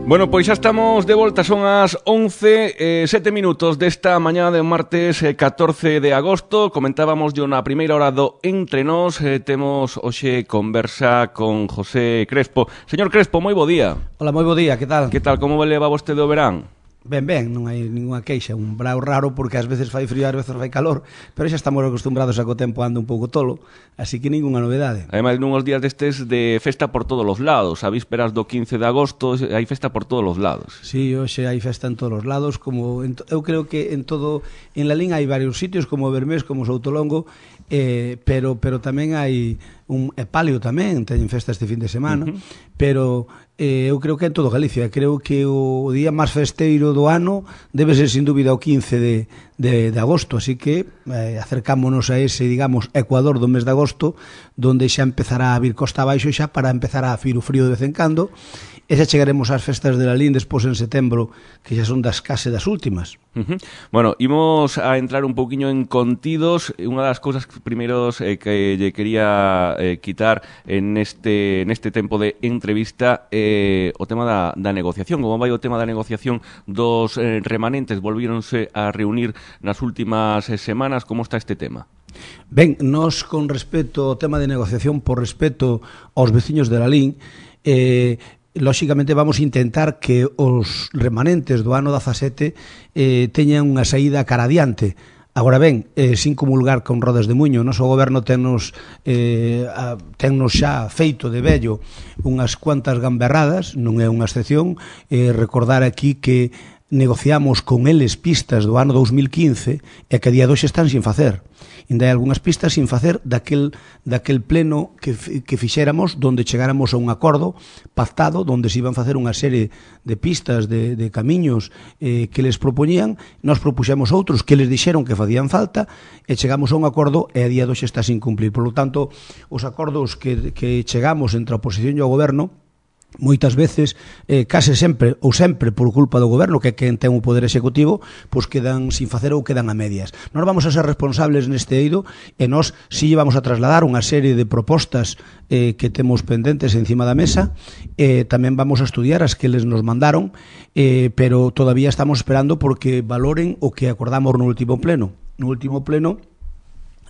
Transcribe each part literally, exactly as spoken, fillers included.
Bueno, pois xa estamos de volta, son as once e sete minutos desta mañá de martes catorce de agosto. Comentábamos yo na primeira hora do Entre Nós, eh, temos hoxe conversa con José Crespo. Señor Crespo, moi bo día. Hola, moi bo día, que tal? Que tal, como leva vostede o verán? Ben, ben, non hai ninguna queixa, un brao raro porque ás veces fai frío, ás veces fai calor, pero xa estamos acostumbrados a que o tempo anda un pouco tolo, así que ninguna novedade. Ademais, nunhos días destes de festa por todos os lados, a vísperas do quince de agosto hai festa por todos os lados. Sí, hoxe hai festa en todos os lados, como en, eu creo que en todo, en La Lín hai varios sitios, como Bermés, como Soutolongo, eh, pero pero tamén hai un e Palio tamén, teñen festa este fin de semana, uh -huh. pero eh, eu creo que en todo Galicia, creo que o día máis festeiro do ano debe ser sin dúbida o quince de, de, de agosto, así que eh, acercámonos a ese, digamos, ecuador do mes de agosto, donde xa empezará a vir costa abaixo xa para empezar a vir o frío de vez en cando, e xa chegaremos ás festas de La Lín despois en setembro, que xa son das case das últimas. Uh -huh. Bueno, imos a entrar un pouquiño en contidos. Unha das cousas primeiros eh, que lle quería eh, quitar en este, neste tempo de entrevista eh, o tema da, da negociación. Como vai o tema da negociación dos eh, remanentes? Volvíronse a reunir nas últimas eh, semanas. Como está este tema? Ben, nos con respecto ao tema de negociación, por respeto aos veciños de La Lín, eh, lóxicamente vamos a intentar que os remanentes do ano dezasete eh, teñan unha saída cara adiante. Agora ben, eh, sin comulgar con rodas de muiño, o noso goberno tennos, eh, a, tennos xa feito de vello unhas cuantas gamberradas, non é unha excepción, eh, recordar aquí que negociamos con eles pistas do ano dous mil quince e que a día de hoxe están sin facer. Ainda hai algunhas pistas sin facer daquel, daquel pleno que, que fixéramos donde chegáramos a un acordo pactado donde se iban facer unha serie de pistas, de, de camiños eh, que les propoñían, nós propuxemos outros que les dixeron que facían falta e chegamos a un acordo e a día de hoxe está sin cumplir. Por lo tanto, os acordos que, que chegamos entre a oposición e o goberno moitas veces, eh, case sempre ou sempre por culpa do goberno, que é quen ten o poder executivo, pois quedan sin facer ou quedan a medias. Nós vamos a ser responsables neste eido e nós si vamos a trasladar unha serie de propostas eh, que temos pendentes encima da mesa, eh, tamén vamos a estudiar as que les nos mandaron, eh, pero todavía estamos esperando porque valoren o que acordamos no último pleno. No último pleno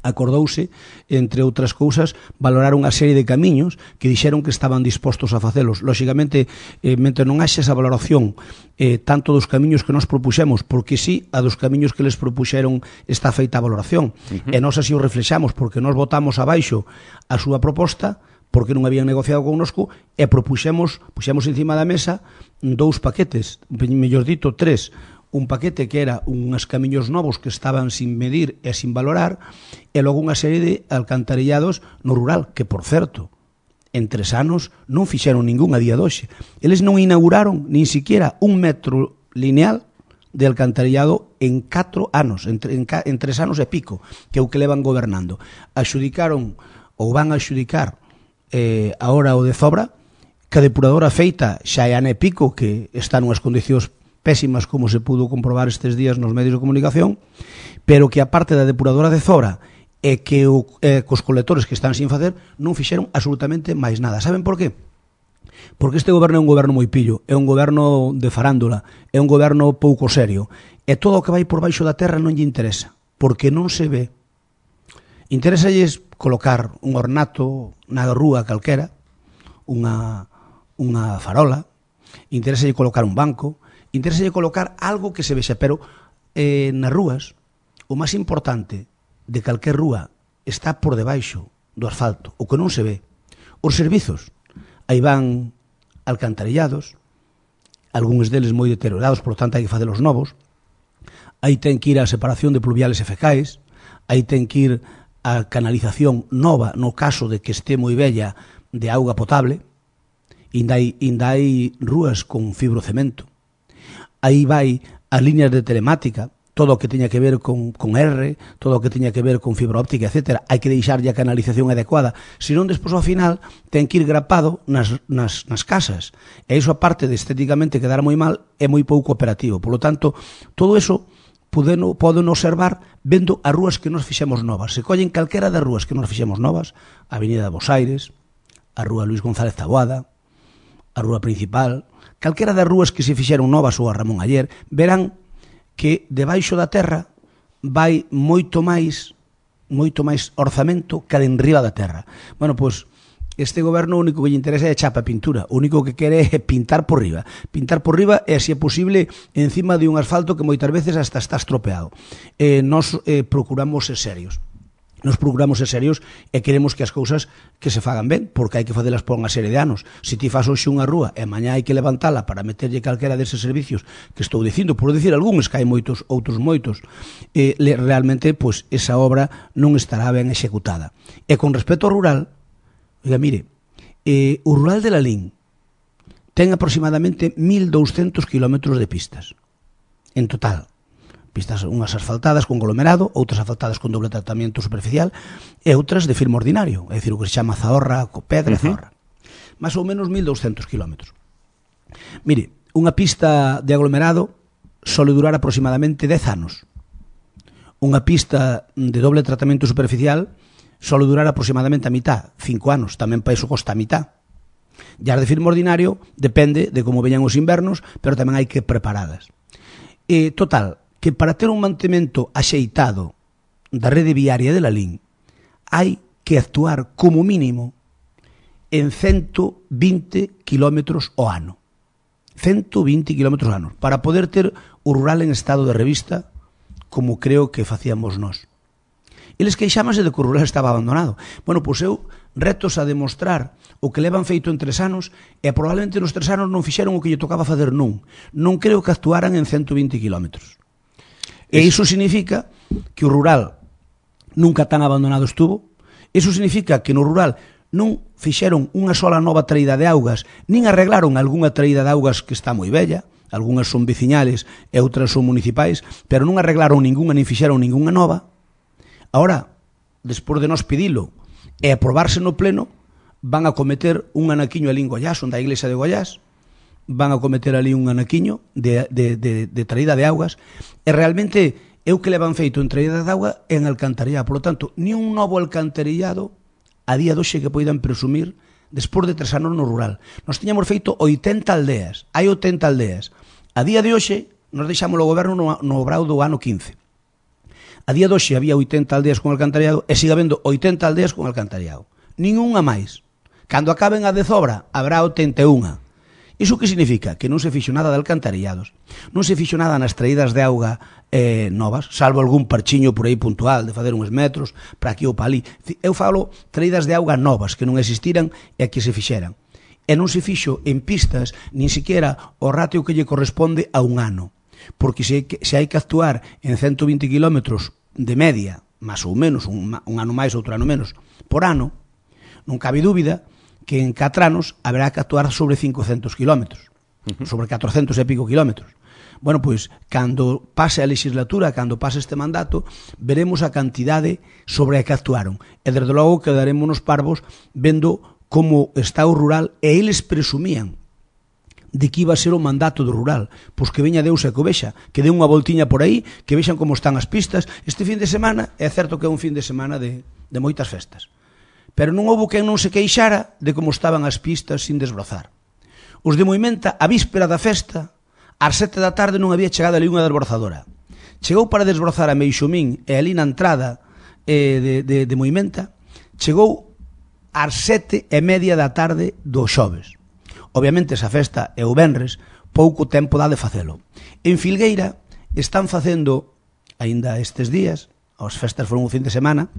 acordouse, entre outras cousas, valorar unha serie de camiños que dixeron que estaban dispostos a facelos. Lóxicamente, eh, mentre non haxe esa valoración eh, tanto dos camiños que nos propuxemos, porque sí, a dos camiños que les propuxeron está feita a valoración. Uh -huh. E nós así o reflexamos, porque nós votamos abaixo a súa proposta, porque non habían negociado connosco, e propuxemos, puxemos encima da mesa dous paquetes, mellor dito, tres, un paquete que era unhas camiños novos que estaban sin medir e sin valorar e logo unha serie de alcantarillados no rural, que, por certo, en tres anos non fixeron ningún a día de hoxe. Eles non inauguraron nin siquiera un metro lineal de alcantarillado en catro anos, en, en, en tres anos e pico, que é o que levan gobernando. Axudicaron ou van a axudicar eh, ahora o de Zobra, que a depuradora feita xa é ano e pico, que está nunhas condicións pésimas como se pudo comprobar estes días nos medios de comunicación, pero que a parte da depuradora de Zora e que o, eh, cos colectores que están sin facer non fixeron absolutamente máis nada. Saben por qué? Porque este goberno é un goberno moi pillo, é un goberno de farándula, é un goberno pouco serio, e todo o que vai por baixo da terra non lle interesa, porque non se ve. Interésalles colocar un ornato na rúa calquera, unha, unha farola, interésallles colocar un banco, interesa colocar algo que se vexa, pero eh, nas rúas o máis importante de calquer rúa está por debaixo do asfalto, o que non se ve. Os servizos, aí van alcantarillados, algúns deles moi deteriorados, por lo tanto hai que facer os novos, aí ten que ir a separación de pluviales e fecais, aí ten que ir a canalización nova no caso de que este moi bella de auga potable, inda hai, inda hai rúas con fibrocemento. Aí vai as líneas de telemática, todo o que teña que ver con, con R, todo o que teña que ver con fibra óptica, etcétera. Hai que deixarlle a canalización adecuada. Se non, despois ao final, ten que ir grapado nas, nas, nas casas. E iso, aparte de estéticamente quedar moi mal, é moi pouco operativo. Por lo tanto, todo eso poden observar vendo as rúas que nos fixemos novas. Se collen calquera das rúas que nos fixemos novas, a Avenida de Bos Aires, a Rúa Luis González Taboada, a Rúa Principal, calquera das rúas que se fixeron novas ou a Ramón Ayer, verán que debaixo da terra vai moito máis moito máis orzamento que enriba da terra. Bueno, pois este goberno o único que lle interesa é chapa pintura, o único que quere é pintar por riba. Pintar por riba e, se é posible, encima de un asfalto que moitas veces hasta está estropeado. Eh, nos eh, procuramos ser serios. Nos procuramos ser serios e queremos que as cousas que se fagan ben, porque hai que facelas por unha serie de anos. Se ti faz hoxe unha rúa e mañá hai que levantala para meterlle calquera deses servicios que estou dicindo, por decir algúns, que hai moitos, outros moitos, eh, realmente, pois, esa obra non estará ben executada. E con respecto ao rural, oiga, mire, eh, o rural de Lalín ten aproximadamente mil douscentos kilómetros de pistas, en total. Pistas unhas asfaltadas con aglomerado, outras asfaltadas con doble tratamento superficial e outras de firme ordinario, é dicir, o que se chama zahorra, pedra e zahorra. Más ou menos mil douscentos kilómetros. Mire, unha pista de aglomerado sole durar aproximadamente dez anos. Unha pista de doble tratamento superficial sole durar aproximadamente a mitad, cinco anos, tamén para iso costa a mitad. E as de firme ordinario depende de como veñan os invernos, pero tamén hai que preparadas. E, total, que para ter un mantemento axeitado da rede viaria de Lalín hai que actuar como mínimo en ciento vinte kilómetros ao ano. ciento vinte kilómetros ao ano, para poder ter o rural en estado de revista, como creo que facíamos nós. Eles queixámanse de que o rural estaba abandonado. Bueno, pois eu retos a demostrar o que levan feito en tres anos e probablemente nos tres anos non fixeron o que lle tocaba facer nun. Non creo que actuaran en ciento vinte kilómetros. E iso significa que o rural nunca tan abandonado estuvo. Iso significa que no rural non fixeron unha sola nova traída de augas, nin arreglaron algunha traída de augas que está moi bella, algunhas son veciñales e outras son municipais, pero non arreglaron ningunha nin fixeron ningunha nova. Ahora, despois de nos pedilo e aprobarse no pleno, van a cometer un anaquiño ali en Goiás, onde a iglesia de Goiás, van a cometer ali un anaquiño de, de, de, de traída de augas, e realmente é o que levan feito en traída de auga en alcantarillado. Por lo tanto, ni un novo alcantarillado a día de hoxe que poidan presumir despois de tres anos no rural. Nos tiñamos feito oitenta aldeas, hai oitenta aldeas. A día de hoxe, nos deixamos o goberno no, no obrao do ano quince. A día de hoxe había oitenta aldeas con alcantarillado e siga habendo oitenta aldeas con alcantarillado. Ninguna máis. Cando acaben a de Zobra, habrá oitenta e unha. Iso que significa? Que non se fixo nada de alcantarillados, non se fixo nada nas traídas de auga eh, novas, salvo algún parchiño por aí puntual de fazer uns metros para aquí ou para ali. Eu falo traídas de auga novas que non existiran e que se fixeran. E non se fixo en pistas nin siquiera o ratio que lle corresponde a un ano, porque se, se hai que actuar en ciento vinte kilómetros de media, máis ou menos, un, un ano máis, outro ano menos, por ano, non cabe dúbida que en catro anos haberá que actuar sobre cincocentos kilómetros, uh-huh. sobre catrocentos e pico kilómetros. Bueno, pois, cando pase a legislatura, cando pase este mandato, veremos a cantidade sobre a que actuaron. E, desde logo, quedarémonos parvos vendo como está o rural, e eles presumían de que iba a ser o mandato do rural. Pois que veña Deus e que o vexa, que dé unha voltiña por aí, que vexan como están as pistas. Este fin de semana, é certo que é un fin de semana de, de moitas festas, pero non houbo quen non se queixara de como estaban as pistas sin desbrozar. Os de Moimenta, a víspera da festa, ás sete da tarde non había chegado ali unha desbrozadora. Chegou para desbrozar a Meixomín e ali na entrada eh, de, de, de Moimenta, chegou ás sete e media da tarde do xoves. Obviamente, esa festa é o venres, pouco tempo dá de facelo. En Filgueira están facendo, aínda estes días, as festas foron un fin de semana,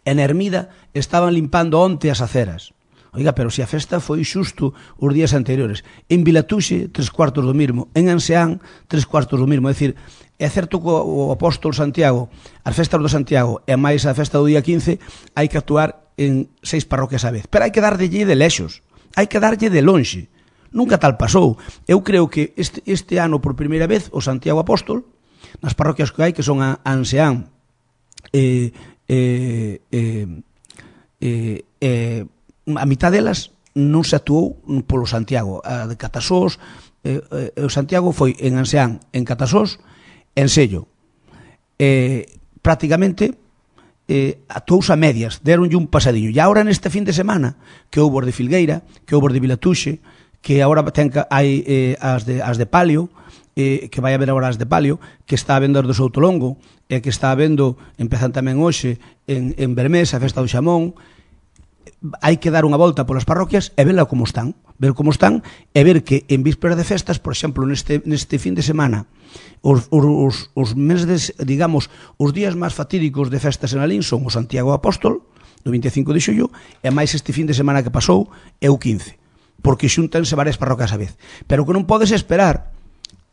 en Hermida estaban limpando onte as aceras. Oiga, pero se a festa foi xusto os días anteriores. En Vilatuxe, tres cuartos do mismo. En Anseán, tres cuartos do mismo. É dicir, é certo que o apóstolo Santiago, as festas do Santiago e máis a festa do día quince, hai que actuar en seis parroquias a vez. Pero hai que darlle de lexos, hai que darlle de lonxe. Nunca tal pasou. Eu creo que este, este ano, por primeira vez, o Santiago Apóstol, nas parroquias que hai, que son a Anseán, e... Eh, eh, eh, eh, a mitad delas non se actuou polo Santiago. A de Catasós, eh, eh, o Santiago foi en Anseán, en Catasós, en Sello. Eh, prácticamente eh, actuouse a medias, deronlle un pasadiño. E agora neste fin de semana, que houbo de Filgueira, que houbo de Vilatuxe, que agora ten, hai eh, as, de, as de palio, eh, que vai haber agora as de palio, que está a vendo as do Soutolongo, e que está a vendo, empezan tamén hoxe, en, en Bermés, a festa do xamón. Hai que dar unha volta polas parroquias e verla como están, ver como están e ver que en vísperas de festas, por exemplo, neste, neste fin de semana, os, os, os meses, digamos, os días máis fatídicos de festas en Alín son o Santiago Apóstol, do vinte e cinco de xullo, e máis este fin de semana que pasou é o quince, porque xúntanse varias parroquias a vez. Pero que non podes esperar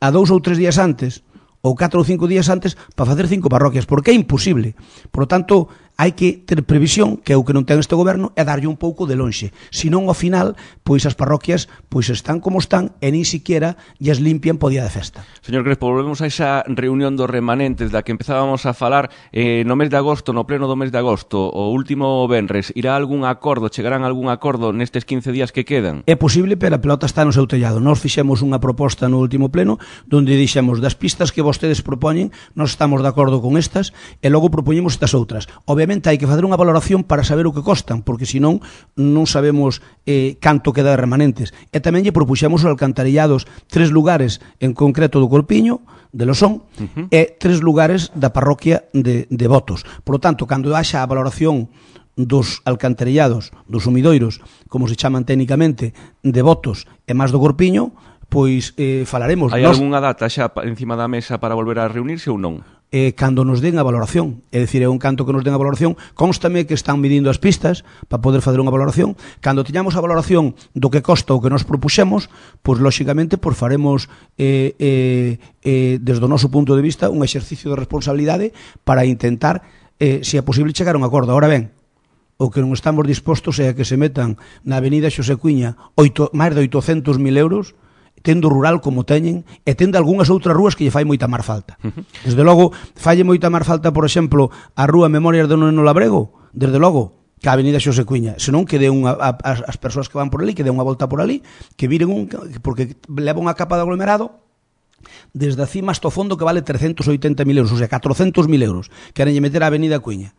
a dous ou tres días antes, ou catro ou cinco días antes, para facer cinco parroquias, porque é imposible. Por lo tanto, hai que ter previsión, que é o que non ten este goberno, é darlle un pouco de lonxe. Senón, ao final, pois as parroquias pois están como están e nin siquiera lles limpian po día de festa. Señor Crespo, volvemos a esa reunión dos remanentes da que empezábamos a falar eh, no mes de agosto, no pleno do mes de agosto, o último venres. Irá algún acordo, chegarán algún acordo nestes quince días que quedan? É posible, pero a pelota está no seu tellado. Nós fixemos unha proposta no último pleno donde dixemos das pistas que vostedes propoñen, nós estamos de acordo con estas e logo propoñemos estas outras. Obviamente hai que facer unha valoración para saber o que costan, porque senón non sabemos eh, canto queda de remanentes. E tamén lle propuxemos os alcantarillados tres lugares en concreto do Corpiño, de Losón, uh-huh. e tres lugares da parroquia de, de Botos. Por lo tanto, cando haxa a valoración dos alcantarillados, dos sumidoiros, como se chaman técnicamente, de Botos e máis do Corpiño, pois eh, falaremos. Hai Nos... algunha data xa encima da mesa para volver a reunirse ou non? Eh, cando nos den a valoración, é dicir, é un canto que nos den a valoración, constame que están midindo as pistas para poder fazer unha valoración. Cando tiñamos a valoración do que costa o que nos propuxemos, pois lóxicamente pois faremos eh, eh, eh, desde o noso punto de vista un exercicio de responsabilidade para intentar, eh, se é posible, chegar a un acordo. Ahora ben, o que non estamos dispostos é a que se metan na avenida Xosé Cuiña oito, máis de oitocentos mil euros, tendo rural como teñen, e tendo algunhas outras rúas que lle fai moita máis falta. Desde logo, falle moita máis falta, por exemplo, a rúa Memorias de Neno Labrego, desde logo, que a avenida Xosé Cuiña, senón que dé unha, a, a, as persoas que van por ali, que dé unha volta por ali, que viren un, porque leva unha capa de aglomerado desde a cima hasta o fondo que vale trescentos oitenta mil euros, ou sea, catrocentos mil euros, queren lle meter a avenida Cuiña.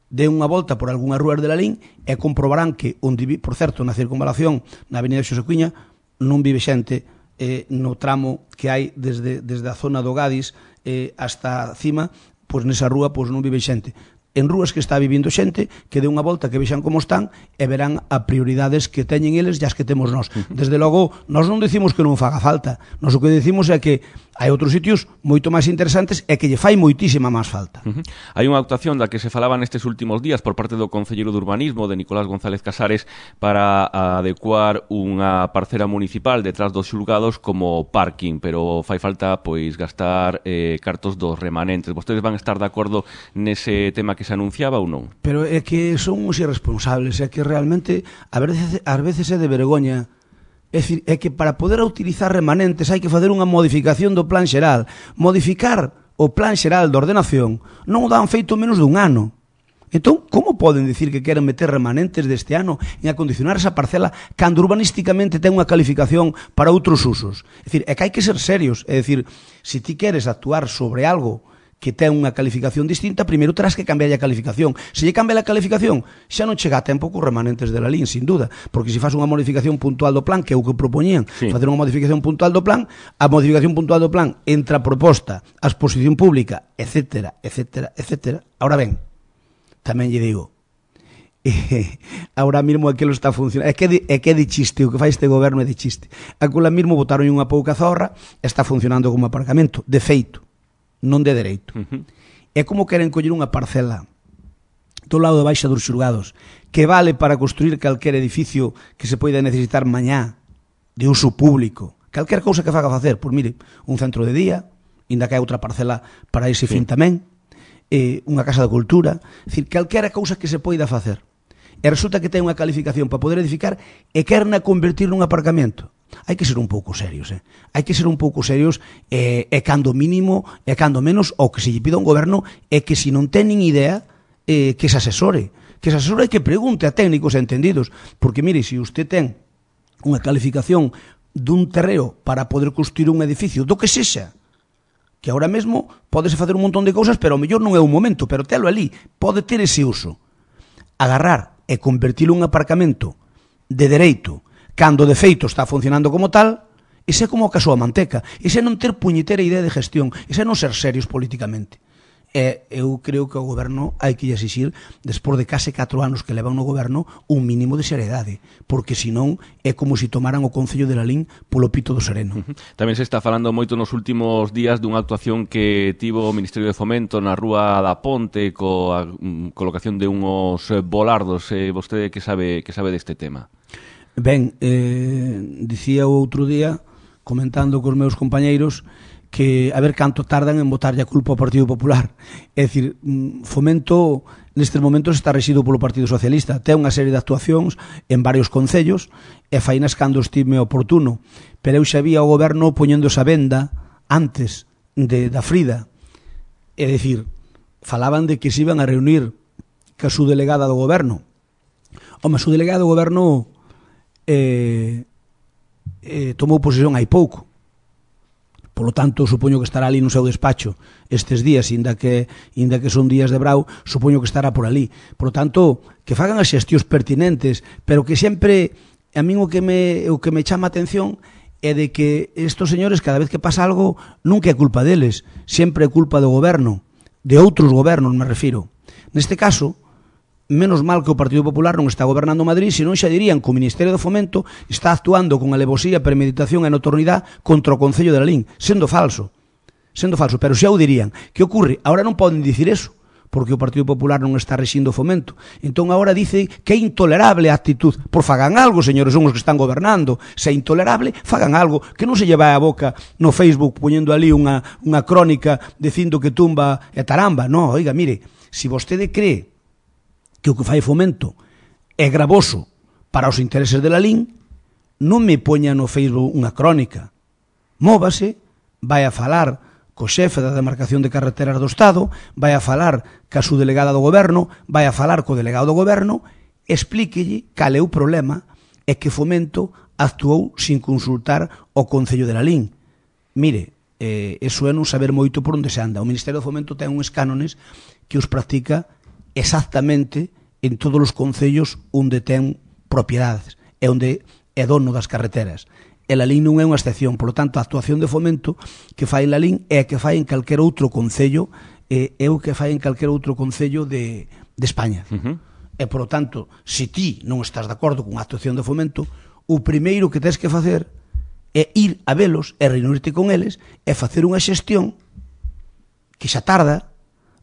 De unha volta por algunhas rúas de Lalín e comprobarán que, onde, por certo, na circunvalación, na avenida Xosé Cuiña, non vive xente eh, no tramo que hai desde, desde a zona do Gadis eh, hasta cima, pois nesa rúa pois non vive xente. En rúas que está vivindo xente, que dé unha volta, que vexan como están e verán a prioridades que teñen eles e as que temos nós. Desde logo, nós non decimos que non faga falta, nós o que decimos é que hai outros sitios moito máis interesantes e que lle fai moitísima máis falta. Uh-huh. Hai unha actuación da que se falaba nestes últimos días por parte do Concelleiro de Urbanismo, de Nicolás González Casares, para adecuar unha parcela municipal detrás dos xulgados como parking, pero fai falta pois gastar eh, cartos dos remanentes. Vostedes van estar de acordo nese tema que se anunciaba ou non? Pero é que son uns irresponsables, é que realmente a veces, a veces é de vergoña. É dicir, é que para poder utilizar remanentes hai que fazer unha modificación do plan xeral. Modificar o plan xeral de ordenación non o dan feito menos dun ano. Entón, como poden dicir que queren meter remanentes deste ano en acondicionar esa parcela cando urbanísticamente ten unha calificación para outros usos? É dicir, é que hai que ser serios. É dicir, se ti queres actuar sobre algo que ten unha calificación distinta, primeiro terás que cambiar a calificación. Se lle cambia a calificación, xa non chega a tempo cos remanentes de Lalín, sin duda, porque se faz unha modificación puntual do plan, que é o que propoñían, sí. facer unha modificación puntual do plan, a modificación puntual do plan entra a proposta, a exposición pública, etcétera, etcétera, etcétera. Ahora ben, tamén lle digo, eh, ahora mesmo aquilo está funcionando, é que, de, é que é de chiste, o que fai este goberno é de chiste. Aquela mesmo botaron unha pouca zorra, está funcionando como aparcamento, de feito, non de dereito. Uh-huh. É como queren coller unha parcela do lado de baixa dos xulgados que vale para construir calquer edificio que se poida necesitar mañá de uso público, calquer cousa que faga facer, pois mire, un centro de día, inda que hai outra parcela para ese sí. fin tamén, eh, unha casa de cultura, é dicir, calquera cousa que se poida facer. E resulta que ten unha calificación para poder edificar e querna convertir nun aparcamento. Hai que ser un pouco serios, eh? Hai que ser un pouco serios e, e cando mínimo, e cando menos, o que se lle pida a un goberno é que se non ten nin idea, eh, que se asesore. Que se asesore e que pregunte a técnicos entendidos. Porque, mire, se usted ten unha calificación dun terreo para poder construir un edificio, do que sexa, que ahora mesmo podese facer un montón de cousas, pero ao mellor non é un momento, pero telo ali, pode ter ese uso. Agarrar e convertilo en un aparcamento de dereito, cando de feito está funcionando como tal, ese é como o caso a manteca, ese é non ter puñetera idea de gestión, ese é non ser serios políticamente. E eu creo que o goberno hai que exixir, despois de case catro anos que levan no goberno, un mínimo de seriedade, porque senón é como se tomaran o Concello de Lalín polo pito do sereno. Tamén se está falando moito nos últimos días dunha actuación que tivo o Ministerio de Fomento na Rúa da Ponte coa colocación de unhos volardos. Eh, vostede que sabe que sabe deste tema? Ben, eh, dicía o outro día, comentando cos meus compañeiros, que a ver canto tardan en botarlle a culpa ao Partido Popular. É dicir, Fomento nestes momentos está rexido polo Partido Socialista, ten unha serie de actuacións en varios concellos e fainas cando estime oportuno, pero eu xa vía o goberno poñendo esa venda antes de, da Frida. É dicir, falaban de que se iban a reunir ca su delegada do goberno. Home, a su delegada do goberno eh, eh, tomou posesión hai pouco. Polo tanto, supoño que estará ali no seu despacho estes días, inda que, inda que son días de brau, supoño que estará por ali. Por tanto, que fagan as xestións pertinentes, pero que sempre, a min o que me, o que me chama a atención é de que estos señores, cada vez que pasa algo, nunca é culpa deles, sempre é culpa do goberno, de outros gobernos, me refiro. Neste caso, menos mal que o Partido Popular non está gobernando Madrid, senón xa dirían que o Ministerio de Fomento está actuando con alevosía, premeditación e notornidade contra o Concello de Lalín, sendo falso, sendo falso, pero xa o dirían. Que ocorre? Ahora non poden dicir eso, porque o Partido Popular non está rexindo o Fomento. Entón agora dice que é intolerable a actitud. Por fagan algo, señores, son os que están gobernando. Se é intolerable, fagan algo, que non se lleva a boca no Facebook poñendo ali unha, unha crónica dicindo que tumba e taramba. No, oiga, mire, se vostede cree que o que fai Fomento é gravoso para os intereses de Lalín, non me poña no Facebook unha crónica. Móvase, vai a falar co xefe da demarcación de carreteras do Estado, vai a falar ca su delegada do goberno, vai a falar co delegado do goberno, explíquelle cal é o problema e que Fomento actuou sin consultar o Concello de Lalín. Mire, eh, eso é non saber moito por onde se anda. O Ministerio do Fomento ten uns cánones que os practica exactamente en todos os concellos onde ten propiedades e onde é dono das carreteras. E Lalín non é unha excepción, por lo tanto, a actuación de Fomento que fai Lalín é a que fai en calquer outro concello, é o que fai en calquer outro concello de, de España. Uh-huh. E, por lo tanto, se ti non estás de acordo con a actuación de Fomento, o primeiro que tens que facer é ir a velos e reunirte con eles e facer unha xestión que xa tarda,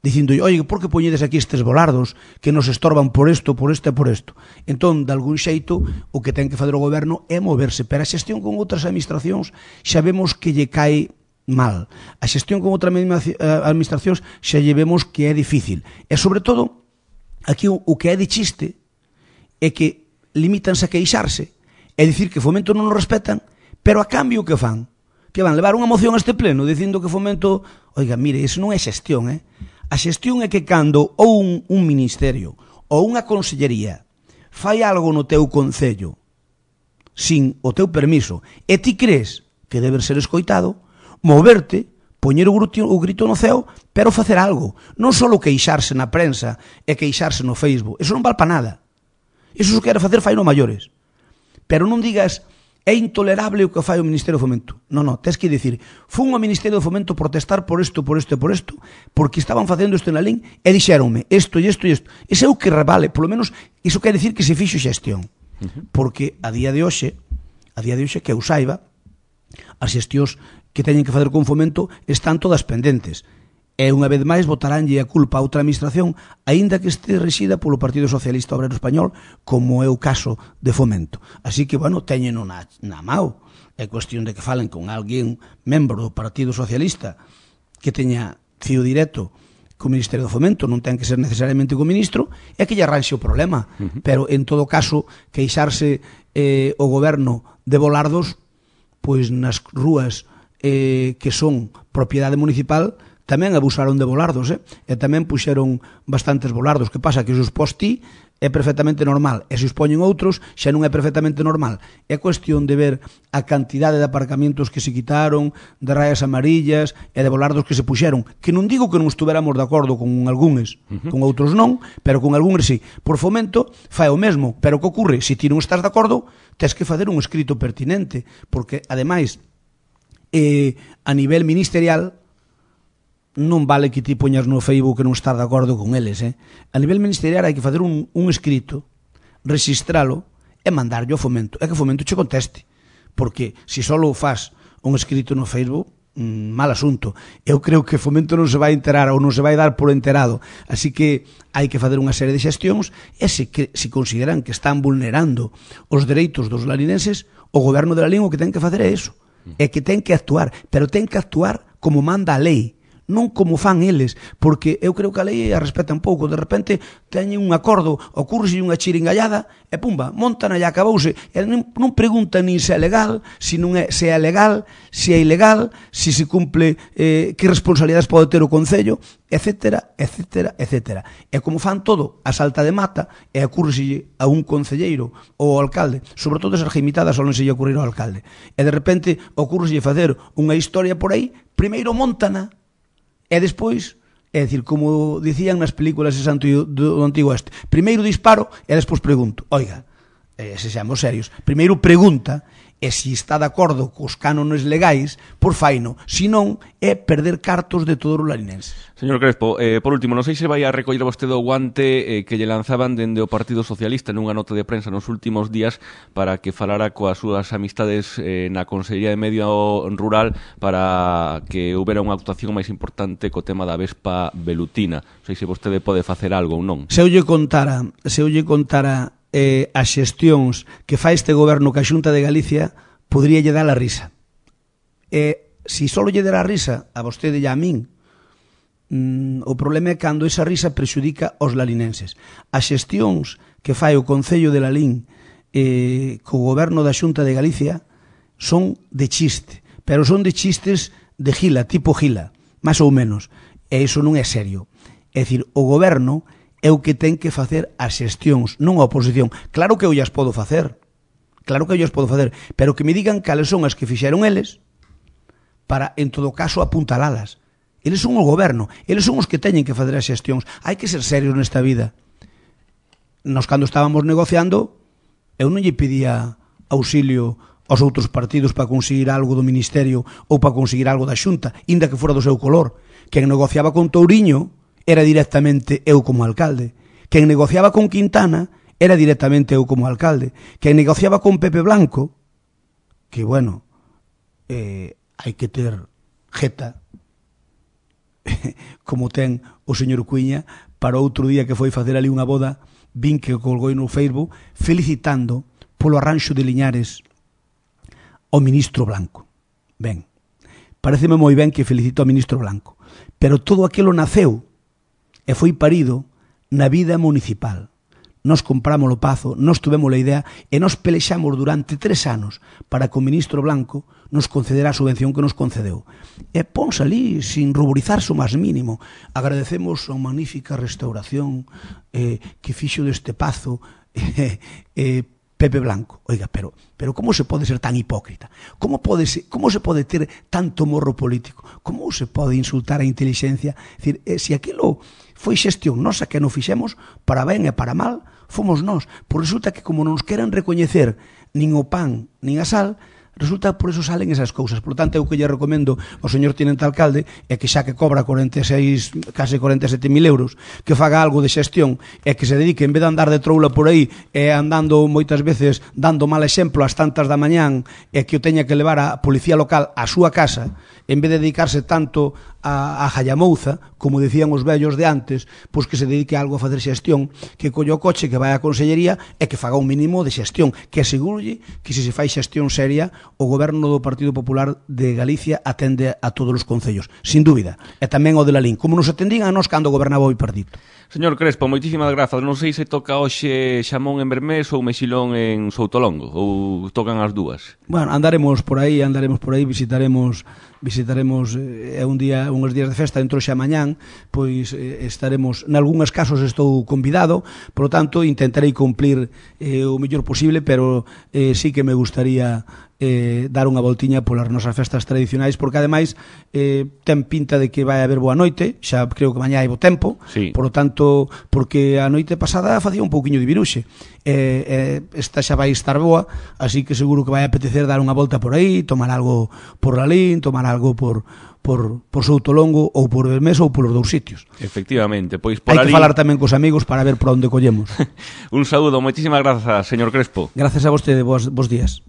dicindo, oye, por que poñedes aquí estes volardos que nos estorban por isto, por isto e por isto? Entón, de algún xeito, o que ten que fazer o goberno é moverse, pero a xestión con outras administracións xa vemos que lle cae mal. A xestión con outras administracións xa lle vemos que é difícil. E, sobre todo, aquí o que é de chiste é que limítanse a queixarse, é dicir que Fomento non nos respetan, pero a cambio que fan? Que van levar unha moción a este pleno dicindo que Fomento, oiga, mire, eso non é xestión, eh? A xestión é que cando ou un, un ministerio ou unha consellería fai algo no teu concello sin o teu permiso e ti crees que debe ser escoitado, moverte, poñer o grito, o grito no ceo, pero facer algo. Non só queixarse na prensa e queixarse no Facebook. Eso non vale para nada. Eso se quere facer fai no maiores. Pero non digas é intolerable o que fai o Ministerio de Fomento. Non, non, tens que dicir, fun ao Ministerio de Fomento protestar por isto, por isto e por isto, porque estaban facendo isto en Lalín e dixéronme isto e isto e isto. Ese é o que revale, polo menos, iso quer dicir que se fixo xestión. Porque a día de hoxe, a día de hoxe, que eu saiba, as xestións que teñen que facer con Fomento están todas pendentes. E unha vez máis botaránlle a culpa a outra administración, aínda que este resida polo Partido Socialista Obrero Español, como é o caso de Fomento. Así que, bueno, teñen na, na mao. É cuestión de que falen con alguén membro do Partido Socialista que teña fío directo co Ministerio do Fomento, non ten que ser necesariamente co ministro, é que lle arranxe o problema. Uh-huh. Pero, en todo caso, queixarse eh, o goberno de volardos, pois nas rúas eh, que son propiedade municipal, tamén abusaron de volardos, eh? E tamén puxeron bastantes volardos. Que pasa? Que se os pos ti é perfectamente normal, e se os poñen outros xa non é perfectamente normal. É cuestión de ver a cantidade de aparcamientos que se quitaron, de rayas amarillas e de volardos que se puxeron, que non digo que non estuveramos de acordo con algúns, uh-huh. con outros non, pero con algúns sí. Por Fomento fai o mesmo, pero que ocorre? Se ti non estás de acordo, tes que facer un escrito pertinente, porque, ademais, eh, a nivel ministerial, non vale que ti poñas no Facebook que non estás de acordo con eles, eh? A nivel ministerial hai que facer un, un escrito, registralo e mandarlo ao Fomento, e que o Fomento che conteste, porque se só faz un escrito no Facebook, mmm, mal asunto. Eu creo que o Fomento non se vai enterar ou non se vai dar por enterado, así que hai que facer unha serie de xestións, e se, que, se consideran que están vulnerando os dereitos dos lalinenses, o goberno de Lalín o que ten que facer é iso, é que ten que actuar, pero ten que actuar como manda a lei, non como fan eles, porque eu creo que a lei a respeta un pouco. De repente teñen un acordo, ocurre unha chiringallada e pumba, montan e acabouse, e non, non preguntan nin se é legal, se non é, se é legal, se é ilegal, se se cumple, eh, que responsabilidades pode ter o Concello, etcétera, etcétera, etcétera. E como fan todo a salta de mata, e ocurre a un concelleiro ou ao alcalde, sobre todo esas geimitadas solen se lle ocurrir ao alcalde, e de repente ocurre facer unha historia por aí, primeiro montana, e despois, é dicir, como dicían nas películas do Antigo Oeste, primeiro disparo e despois pregunto. Oiga, eh, se seamos serios, primeiro pregunta e se está de acordo cos cánones legais, por faino, se non é perder cartos de todos os larinenses. Señor Crespo, eh, por último, non sei se vai a recoller vostede o guante eh, que lle lanzaban dende o Partido Socialista nunha nota de prensa nos últimos días para que falara coas súas amistades eh, na Consellería de Medio Rural para que houbera unha actuación máis importante co tema da vespa velutina. Non sei se vostede pode facer algo ou non. Se eu lle contara, se eu lle contara eh, as xestións que fai este goberno que a Xunta de Galicia, podría lle dar a risa. E se só lle der a risa a vostede e a min, mm, o problema é cando esa risa prexudica aos lalinenses. As xestións que fai o Concello de Lalín eh, co goberno da Xunta de Galicia son de chiste, pero son de chistes de gila, tipo gila, máis ou menos, e iso non é serio. É dicir, o goberno é o que ten que facer as xestións, non a oposición. Claro que eu as podo facer, claro que eu as podo facer, pero que me digan cales son as que fixeron eles para, en todo caso, apuntalalas. Eles son o goberno, eles son os que teñen que facer as xestións. Hai que ser serios nesta vida. Nos, cando estábamos negociando, eu non lle pedía auxilio aos outros partidos para conseguir algo do Ministerio ou para conseguir algo da Xunta, inda que fora do seu color. Quen negociaba con Touriño era directamente eu como alcalde. Quen negociaba con Quintana era directamente eu como alcalde. Quen negociaba con Pepe Blanco, que, bueno, eh, hai que ter jeta, como ten o señor Cuiña, para outro día que foi facer ali unha boda, vin que colgou no Facebook felicitando polo arranxo de Liñares ao ministro Blanco. Ben, pareceme moi ben que felicito ao ministro Blanco, pero todo aquilo naceu e foi parido na vida municipal. Nos compramos o Pazo, nos tuvemos a idea e nos pelexamos durante tres anos para que o ministro Blanco nos concedera a subvención que nos concedeu. E pons ali sin ruborizarse o máis mínimo. Agradecemos a magnífica restauración eh, que fixo deste Pazo eh, eh, Pepe Blanco. Oiga, pero pero como se pode ser tan hipócrita? Como pode se, como se pode ter tanto morro político? Como se pode insultar a inteligencia? É dicir, eh, se aquilo foi xestión nosa que non fixemos, para ben e para mal, fomos nós. Por resulta que como non nos queren recoñecer nin o pan, nin a sal, resulta por eso salen esas cousas. Por lo tanto, eu que lle recomendo ao señor tenente alcalde é que xa que cobra corenta e seis, case corenta e sete mil euros, que faga algo de xestión e que se dedique, en vez de andar de troula por aí e andando moitas veces dando mal exemplo ás tantas da mañán e que o teña que levar a policía local á súa casa, en vez de dedicarse tanto a, a Jayamouza, como decían os vellos de antes, pois que se dedique a algo a facer xestión, que colle o coche, que vai á consellería e que faga un mínimo de xestión, que asegurlle que se se fai xestión seria, o goberno do Partido Popular de Galicia atende a todos os concellos, sin dúbida, e tamén o de Lalín, como nos atendían a nós cando gobernaba o Bipartito. Señor Crespo, moitísimas grazas. Non sei se toca hoxe Xamón en Bermés ou Mexilón en Soutolongo, ou tocan as dúas. Bueno, andaremos por aí, andaremos por aí, visitaremos visitaremos é eh, un día, uns días de festa dentro xa mañán, pois eh, estaremos, nalgúns casos estou convidado, por lo tanto intentarei cumplir eh, o mellor posible, pero eh, sí que me gustaría eh, dar unha voltiña polas nosas festas tradicionais, porque ademais eh, ten pinta de que vai haber boa noite, xa creo que mañá hai bo tempo, sí. Por lo tanto, porque a noite pasada facía un pouquiño de viruxe, eh, eh, esta xa vai estar boa, así que seguro que vai apetecer dar unha volta por aí, tomar algo por Lalín, tomar algo por por, por Soutolongo ou por Bermés ou polos dous sitios. Efectivamente, pois por hai ali... que falar tamén cos amigos para ver por onde collemos. Un saúdo, moitísimas grazas, señor Crespo. Gracias a vostede, bos, bos días.